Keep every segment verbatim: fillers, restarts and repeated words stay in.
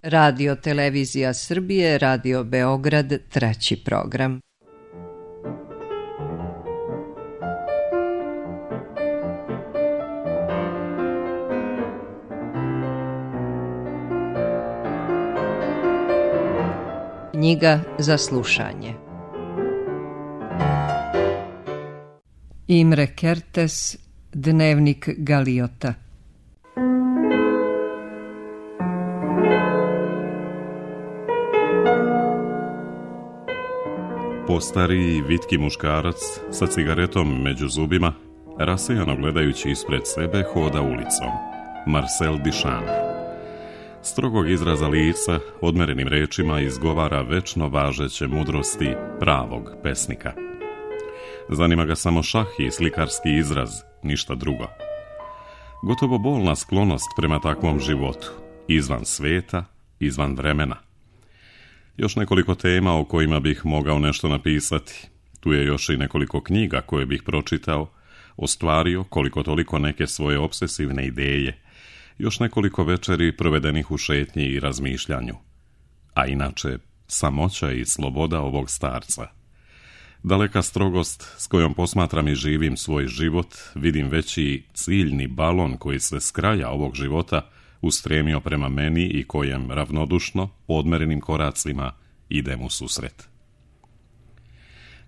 Radio Televizija Srbije, Radio Beograd, treći program. Knjiga za slušanje. Imre Kertész, Dnevnik Galiota. Postariji, vitki muškarac sa cigaretom među zubima, rasejano gledajući ispred sebe, hoda ulicom. Marcel Duchamp. Strogog izraza lica, odmerenim rečima izgovara večno važeće mudrosti pravog pesnika. Zanima ga samo šah i slikarski izraz, ništa drugo. Gotovo bolna sklonost prema takvom životu, izvan sveta, izvan vremena. Još nekoliko tema o kojima bih mogao nešto napisati. Tu je još i nekoliko knjiga koje bih pročitao, ostvario koliko toliko neke svoje obsesivne ideje, još nekoliko večeri provedenih u šetnji i razmišljanju. A inače, samoća i sloboda ovog starca. Daleka strogost s kojom posmatram i živim svoj život, vidim veći ciljni balon koji se s kraja ovog života ustremio prema meni i kojem ravnodušno, odmerenim koracima, idem u susret.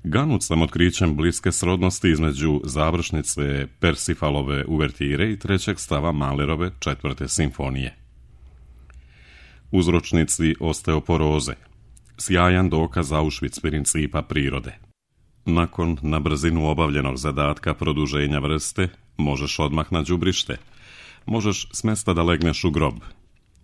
Ganut sam otkrićem bliske srodnosti između završnice Persifalove uvertire i trećeg stava Mahlerove četvrte simfonije. Uzročnici osteoporoze, sjajan dokaz Auschwitz principa prirode. Nakon na brzinu obavljenog zadatka produženja vrste, možeš odmah na đubrište, možeš s mesta da legneš u grob.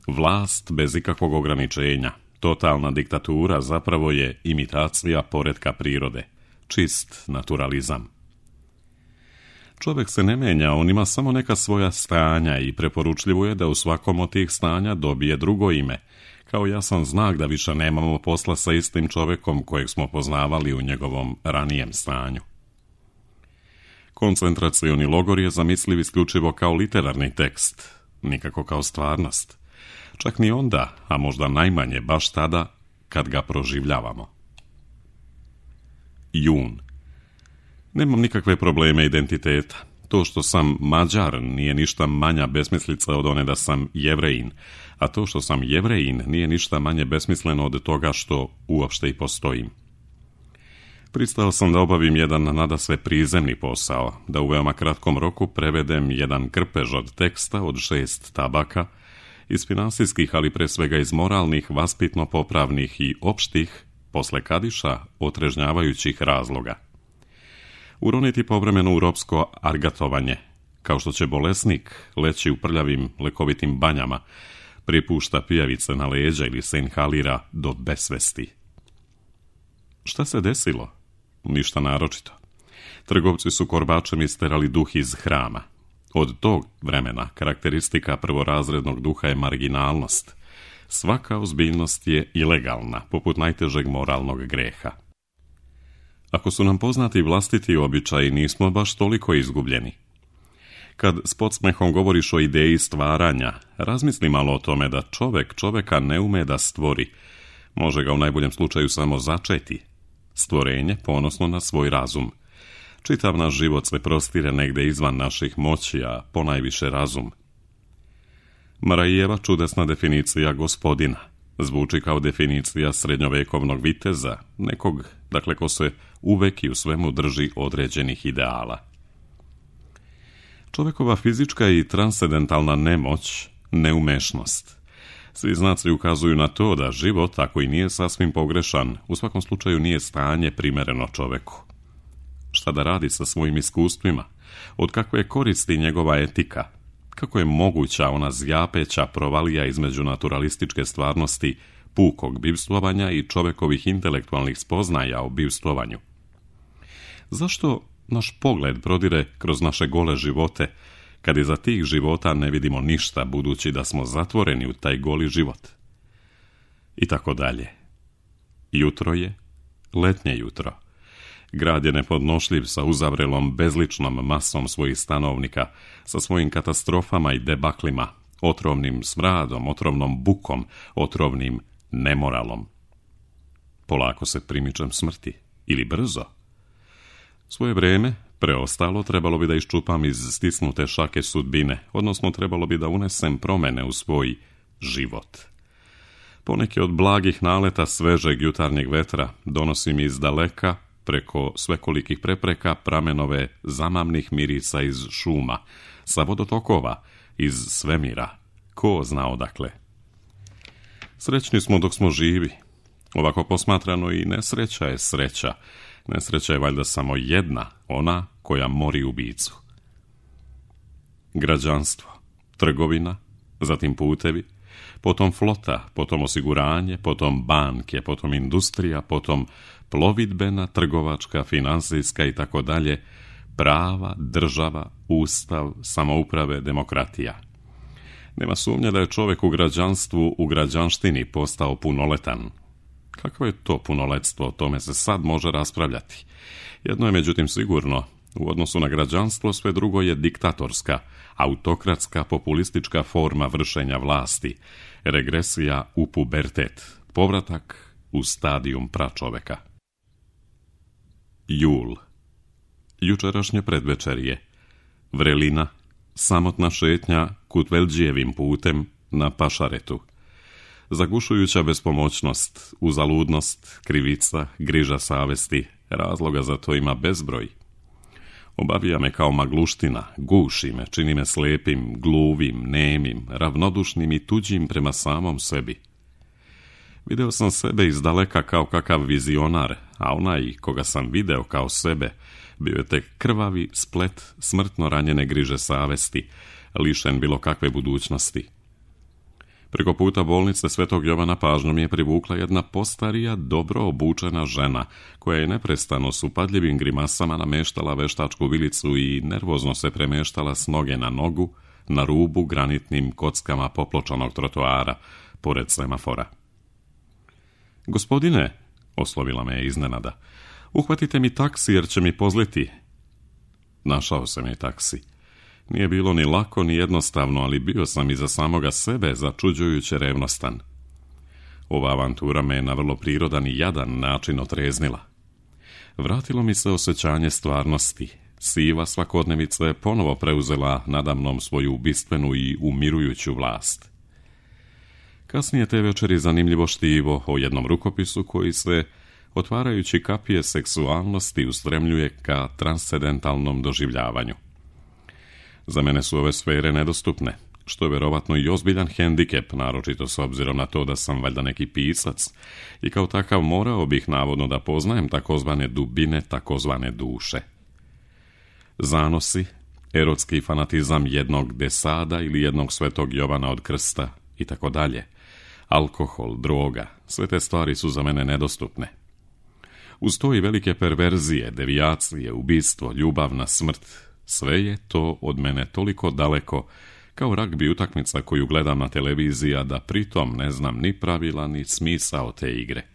Vlast bez ikakvog ograničenja, totalna diktatura zapravo je imitacija poretka prirode, čist naturalizam. Čovjek se ne menja, on ima samo neka svoja stanja i preporučljivo je da u svakom od tih stanja dobije drugo ime, kao jasan znak da više nemamo posla sa istim čovjekom kojeg smo poznavali u njegovom ranijem stanju. Koncentracioni logor je zamisliv isključivo kao literarni tekst, nikako kao stvarnost. Čak ni onda, a možda najmanje baš tada, kad ga proživljavamo. Jun. Nemam nikakve probleme identiteta. To što sam Mađar nije ništa manja besmislica od one da sam Jevrejin, a to što sam Jevrejin nije ništa manje besmisleno od toga što uopšte i postojim. Pristao sam da obavim jedan nadasve prizemni posao, da u veoma kratkom roku prevedem jedan krpež od teksta od šest tabaka, iz finansijskih, ali pre svega iz moralnih, vaspitno-popravnih i opštih, posle Kadiša, otrežnjavajućih razloga. Uroniti povremeno u ropsko argatovanje, kao što će bolesnik leći u prljavim lekovitim banjama, pripušta pijavice na leđa ili se inhalira do besvesti. Šta se desilo? Ništa naročito. Trgovci su korbačem isterali duh iz hrama. Od tog vremena karakteristika prvorazrednog duha je marginalnost. Svaka ozbiljnost je ilegalna, poput najtežeg moralnog greha. Ako su nam poznati vlastiti običaji, nismo baš toliko izgubljeni. Kad s podsmehom govoriš o ideji stvaranja, razmisli malo o tome da čovek čoveka ne ume da stvori. Može ga u najboljem slučaju samo začeti. Stvorenje ponosno na svoj razum. Čitav naš život se prostire negde izvan naših moći, a ponajviše razum. Marajeva čudesna definicija gospodina zvuči kao definicija srednjovekovnog viteza, nekog, dakle, ko se uvek i u svemu drži određenih ideala. Čovekova fizička i transcendentalna nemoć, neumešnost. Svi znaci ukazuju na to da život, ako i nije sasvim pogrešan, u svakom slučaju nije stanje primereno čoveku. Šta da radi sa svojim iskustvima? Od kakve je koristi njegova etika? Kako je moguća ona zjapeća provalija između naturalističke stvarnosti, pukog bivstvovanja i čovekovih intelektualnih spoznaja o bivstvovanju? Zašto naš pogled prodire kroz naše gole živote, kad iza tih života ne vidimo ništa, budući da smo zatvoreni u taj goli život? I tako dalje. Jutro je, letnje jutro. Grad je nepodnošljiv sa uzavrelom bezličnom masom svojih stanovnika, sa svojim katastrofama i debaklima, otrovnim smradom, otrovnom bukom, otrovnim nemoralom. Polako se primičem smrti, ili brzo. Svoje vrijeme, preostalo, trebalo bi da iščupam iz stisnute šake sudbine, odnosno trebalo bi da unesem promjene u svoj život. Poneki od blagih naleta svežeg jutarnjeg vetra donosi mi iz daleka, preko svekolikih prepreka, pramenove zamamnih mirica iz šuma, sa vodotokova, iz svemira, ko zna odakle. Srećni smo dok smo živi. Ovako posmatrano i nesreća je sreća. Nesreća je valjda samo jedna, ona koja mori ubicu. Građanstvo, trgovina, zatim putevi, potom flota, potom osiguranje, potom banke, potom industrija, potom plovidbena, trgovačka, finansijska i tako dalje, prava, država, ustav, samouprave, demokratija. Nema sumnje da je čovjek u građanstvu, u građanštini postao punoletan. Kakvo je to punoletstvo, o tome se sad može raspravljati. Jedno je međutim sigurno, u odnosu na građanstvo sve drugo je diktatorska, autokratska, populistička forma vršenja vlasti, regresija u pubertet, povratak u stadijum pračoveka. Jul. Jučerašnje predvečerje. Vrelina, samotna šetnja Kutvelđijevim putem na Pašaretu. Zagušujuća bespomoćnost, uzaludnost, krivica, griža savesti, razloga za to ima bezbroj. Obavija me kao magluština, guši me, čini me slepim, gluvim, nemim, ravnodušnim i tuđim prema samom sebi. Video sam sebe izdaleka kao kakav vizionar, a onaj koga sam video kao sebe bio je tek krvavi splet smrtno ranjene griže savesti, lišen bilo kakve budućnosti. Preko puta bolnice Svetog Jovana pažnju mi je privukla jedna postarija, dobro obučena žena, koja je neprestano s upadljivim grimasama nameštala veštačku vilicu i nervozno se premeštala s noge na nogu, na rubu granitnim kockama popločanog trotoara, pored semafora. Gospodine, oslovila me je iznenada, uhvatite mi taksi jer će mi pozliti. Našao sam je taksi. Nije bilo ni lako ni jednostavno, ali bio sam i za samoga sebe začuđujuće revnostan. Ova avantura me je na vrlo prirodan i jadan način otreznila. Vratilo mi se osjećanje stvarnosti. Siva svakodnevica je ponovo preuzela nadamnom svoju ubistvenu i umirujuću vlast. Kasnije te večeri zanimljivo štivo o jednom rukopisu koji se, otvarajući kapije seksualnosti, ustremljuje ka transcendentalnom doživljavanju. Za mene su ove sfere nedostupne, što je verovatno i ozbiljan hendikep, naročito s obzirom na to da sam valjda neki pisac i kao takav morao bih navodno da poznajem takozvane dubine takozvane duše. Zanosi, erotski fanatizam jednog Desada ili jednog Svetog Jovana od Krsta i tako dalje, alkohol, droga, sve te stvari su za mene nedostupne. Uz to i velike perverzije, devijacije, ubistvo, ljubavna smrt, sve je to od mene toliko daleko, kao ragbi utakmica koju gledam na televiziji, a da pritom ne znam ni pravila, ni smisao te igre.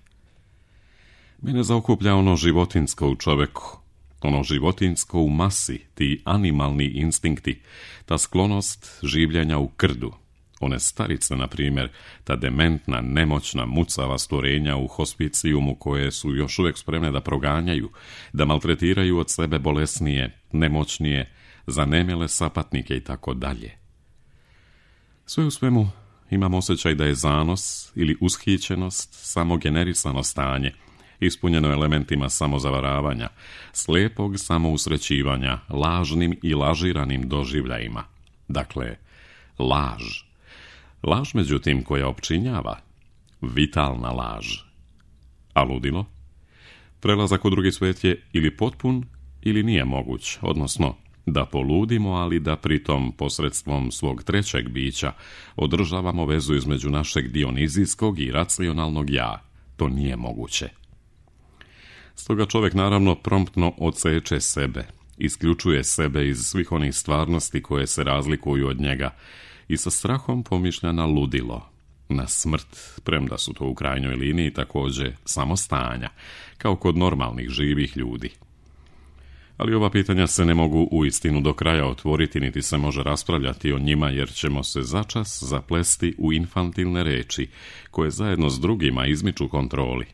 Mene zaokuplja ono životinsko u čoveku, ono životinsko u masi, ti animalni instinkti, ta sklonost življenja u krdu, one starice, na primjer, ta dementna, nemoćna, mucava stvorenja u hospicijumu koje su još uvijek spremne da proganjaju, da maltretiraju od sebe bolesnije, nemoćnije, zanemjele sapatnike i tako dalje. Sve u svemu imam osjećaj da je zanos ili ushićenost samo generisano stanje, ispunjeno elementima samozavaravanja, slijepog samousrećivanja, lažnim i lažiranim doživljajima. Dakle, laž. Laž, međutim, koja opčinjava, vitalna laž. A ludilo? Prelazak u drugi svijet je ili potpun ili nije moguć, odnosno da poludimo, ali da pritom posredstvom svog trećeg bića održavamo vezu između našeg dionizijskog i racionalnog ja. To nije moguće. Stoga čovjek naravno promptno odseče sebe, isključuje sebe iz svih onih stvarnosti koje se razlikuju od njega i sa strahom pomišlja na ludilo, na smrt, premda su to u krajnjoj liniji također samo stanja, kao kod normalnih živih ljudi. Ali ova pitanja se ne mogu uistinu do kraja otvoriti, niti se može raspravljati o njima, jer ćemo se začas zaplesti u infantilne reči, koje zajedno s drugima izmiču kontroli.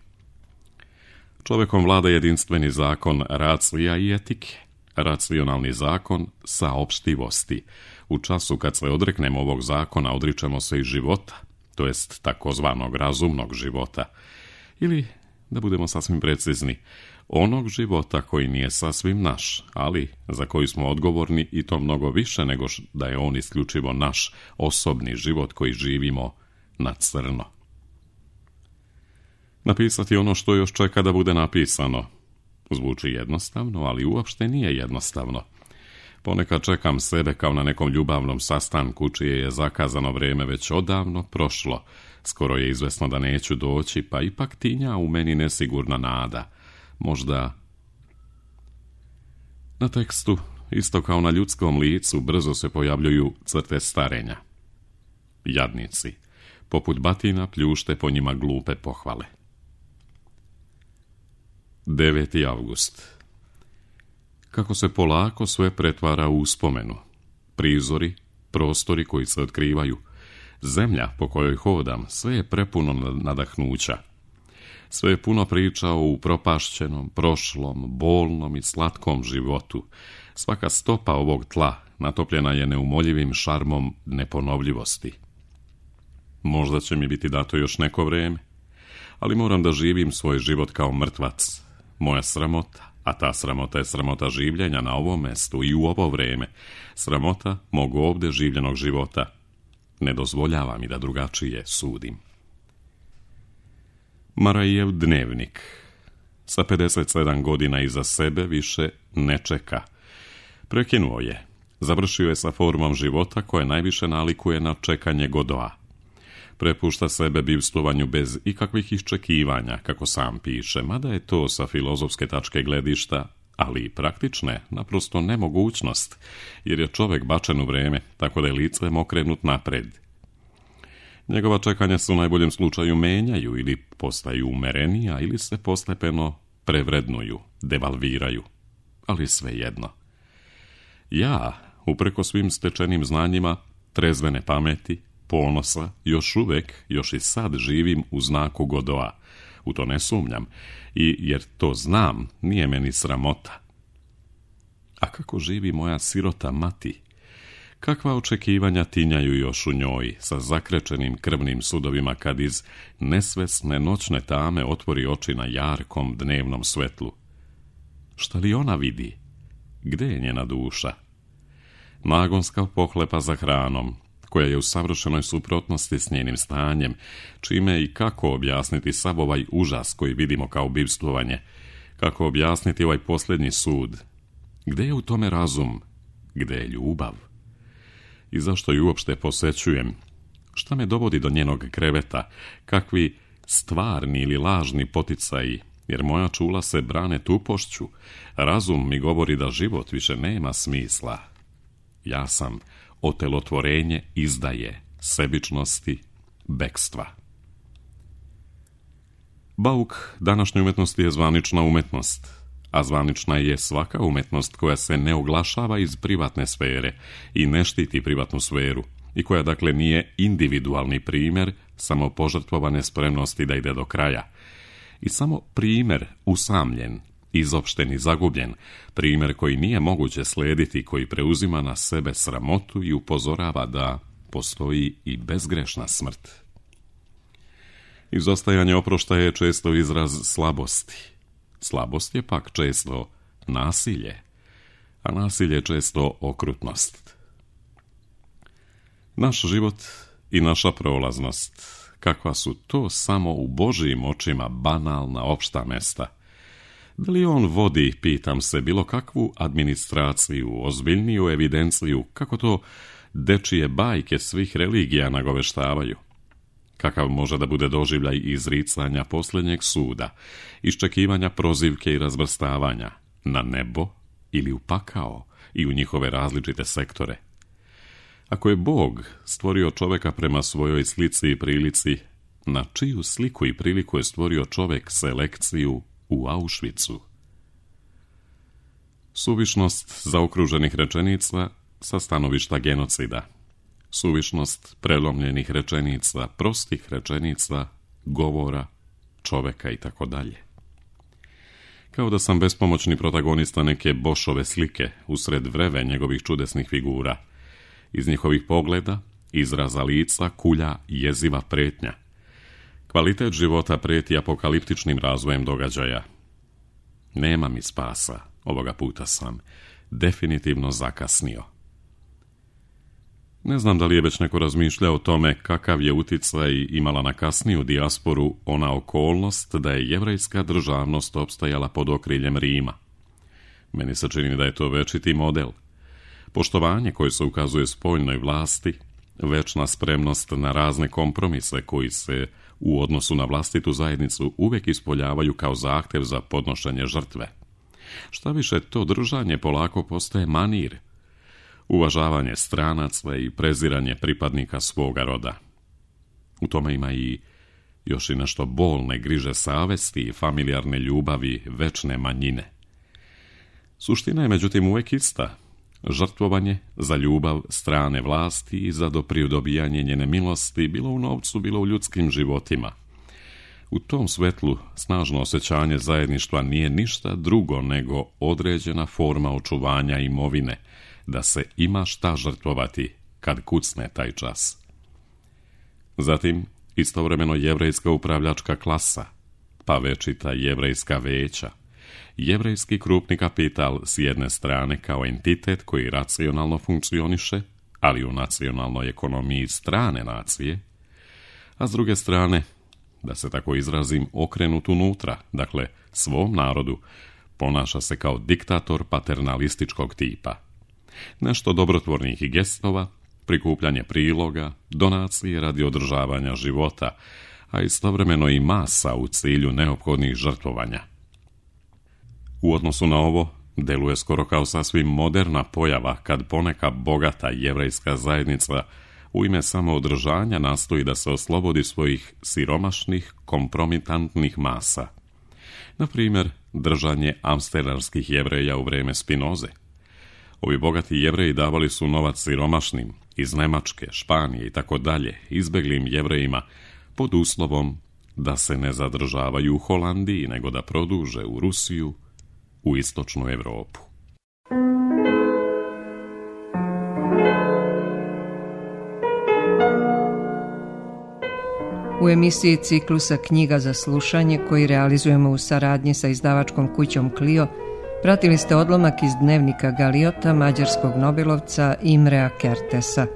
Čovjekom vlada jedinstveni zakon racija i etike, racionalni zakon saopštivosti. U času kad se odreknemo ovog zakona, odričemo se i života, to jest takozvanog razumnog života. Ili, da budemo sasvim precizni, onog života koji nije sasvim naš, ali za koji smo odgovorni i to mnogo više nego da je on isključivo naš osobni život koji živimo na crno. Napisati ono što još čeka da bude napisano. Zvuči jednostavno, ali uopšte nije jednostavno. Ponekad čekam sebe kao na nekom ljubavnom sastanku čije je zakazano vrijeme već odavno prošlo. Skoro je izvesno da neću doći, pa ipak tinja u meni nesigurna nada. Možda... Na tekstu, isto kao na ljudskom licu, brzo se pojavljuju crte starenja. Jadnici, poput batina pljušte po njima glupe pohvale. deveti avgust. Kako se polako sve pretvara u uspomenu. Prizori, prostori koji se otkrivaju, zemlja po kojoj hodam, sve je prepuno nadahnuća. Sve je puno priča o upropašćenom, prošlom, bolnom i slatkom životu. Svaka stopa ovog tla natopljena je neumoljivim šarmom neponovljivosti. Možda će mi biti dato još neko vrijeme, ali moram da živim svoj život kao mrtvac. Moja sramota, a ta sramota je sramota življenja na ovom mestu i u ovo vrijeme, sramota mog ovdje življenog života, ne dozvoljava mi da drugačije sudim. Marajev dnevnik. Sa pedeset sedam godina iza sebe više ne čeka. Prekinuo je. Završio je sa formom života koja najviše nalikuje na čekanje Godoa. Prepušta sebe bivstvovanju bez ikakvih iščekivanja, kako sam piše, mada je to sa filozofske tačke gledišta, ali i praktične, naprosto nemogućnost, jer je čovjek bačen u vrijeme, tako da je licem okrenut napred. Njegova čekanja se u najboljem slučaju menjaju ili postaju umerenija ili se postepeno prevrednuju, devalviraju, ali svejedno. Ja, upreko svim stečenim znanjima, trezvene pameti, ponosa, još uvijek, još i sad živim u znaku Godoa. U to ne sumnjam, i jer to znam, nije meni sramota. A kako živi moja sirota mati? Kakva očekivanja tinjaju još u njoj, sa zakrečenim krvnim sudovima kad iz nesvesne noćne tame otvori oči na jarkom dnevnom svetlu? Šta li ona vidi? Gde je njena duša? Nagonska pohlepa za hranom, koja je u savršenoj suprotnosti s njenim stanjem, čime i kako objasniti sav ovaj užas koji vidimo kao bivstvovanje, kako objasniti ovaj posljednji sud. Gde je u tome razum? Gde je ljubav? I zašto ju uopšte posećujem? Šta me dovodi do njenog kreveta? Kakvi stvarni ili lažni poticaji? Jer moja čula se brane tupošću. Razum mi govori da život više nema smisla. Ja sam otelotvorenje izdaje, sebičnosti, bekstva. Bauk današnje umetnosti je zvanična umetnost, a zvanična je svaka umetnost koja se ne oglašava iz privatne sfere i ne štiti privatnu sferu i koja dakle nije individualni primjer samo požrtvovane spremnosti da ide do kraja i samo primjer usamljen, izopšten i zagubljen, primjer koji nije moguće slijediti, koji preuzima na sebe sramotu i upozorava da postoji i bezgrešna smrt. Izostajanje oproštaja je često izraz slabosti. Slabost je pak često nasilje, a nasilje je često okrutnost. Naš život i naša prolaznost, kakva su to samo u Božijim očima banalna opšta mesta. Da li on vodi, pitam se, bilo kakvu administraciju, ozbiljniju evidenciju, kako to dečije bajke svih religija nagoveštavaju? Kakav može da bude doživljaj izricanja posljednjeg suda, iščekivanja prozivke i razvrstavanja na nebo ili u pakao i u njihove različite sektore? Ako je Bog stvorio čovjeka prema svojoj slici i prilici, na čiju sliku i priliku je stvorio čovjek selekciju u Auschwitzu? Suvišnost zaokruženih rečenica sa stanovišta genocida. Suvišnost prelomljenih rečenica, prostih rečenica, govora, čoveka i tako dalje. Kao da sam bespomoćni protagonista neke Bošove slike usred vreve njegovih čudesnih figura. Iz njihovih pogleda, izraza lica, kulja jeziva pretnja. Kvalitet života preti apokaliptičnim razvojem događaja. Nema mi spasa, ovoga puta sam definitivno zakasnio. Ne znam da li je već neko razmišljao o tome kakav je uticaj imala na kasniju dijasporu ona okolnost da je jevrejska državnost opstajala pod okriljem Rima. Meni se čini da je to večiti model. Poštovanje koje se ukazuje spoljnoj vlasti, večna spremnost na razne kompromise koji se u odnosu na vlastitu zajednicu uvijek ispoljavaju kao zahtjev za podnošenje žrtve. Šta više, to držanje polako postaje manir, uvažavanje stranaca i preziranje pripadnika svoga roda. U tome ima i još i nešto bolne griže savesti i familijarne ljubavi večne manjine. Suština je međutim uvijek ista. Žrtvovanje za ljubav strane vlasti i za dopridobijanje njene milosti, bilo u novcu, bilo u ljudskim životima. U tom svetlu snažno osjećanje zajedništva nije ništa drugo nego određena forma očuvanja imovine, da se ima šta žrtvovati kad kucne taj čas. Zatim, istovremeno jevrejska upravljačka klasa, pa večita jevrejska veća, jevrejski krupni kapital s jedne strane kao entitet koji racionalno funkcioniše, ali u nacionalnoj ekonomiji strane nacije, a s druge strane, da se tako izrazim, okrenut unutra, dakle svom narodu, ponaša se kao diktator paternalističkog tipa. Nešto dobrotvornih gestova, prikupljanje priloga, donacije radi održavanja života, a istovremeno i masa u cilju neophodnih žrtvovanja. U odnosu na ovo, deluje skoro kao sasvim moderna pojava kad poneka bogata jevrejska zajednica u ime samoodržanja nastoji da se oslobodi svojih siromašnih, kompromitantnih masa. Na primjer, držanje amsterdamskih jevreja u vrijeme Spinoze. Ovi bogati jevreji davali su novac siromašnim iz Nemačke, Španije i tako dalje, izbeglim jevrejima pod uslovom da se ne zadržavaju u Holandiji, nego da produže u Rusiju, u istočnu Europu. U emisiji ciklusa Knjiga za slušanje, koji realizujemo u saradnji sa izdavačkom kućom Clio, pratili ste odlomak iz dnevnika Galiota mađarskog nobelovca Imrea Kertesa.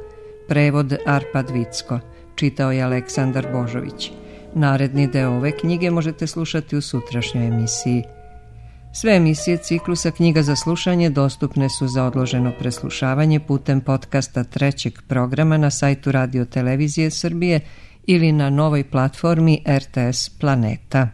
Prevod Arpad Vicko. Čitao je Aleksandar Božović. Naredni deo ove knjige možete slušati u sutrašnjoj emisiji. Sve emisije ciklusa Knjiga za slušanje dostupne su za odloženo preslušavanje putem podcasta trećeg programa na sajtu Radio Televizije Srbije ili na novoj platformi R T S Planeta.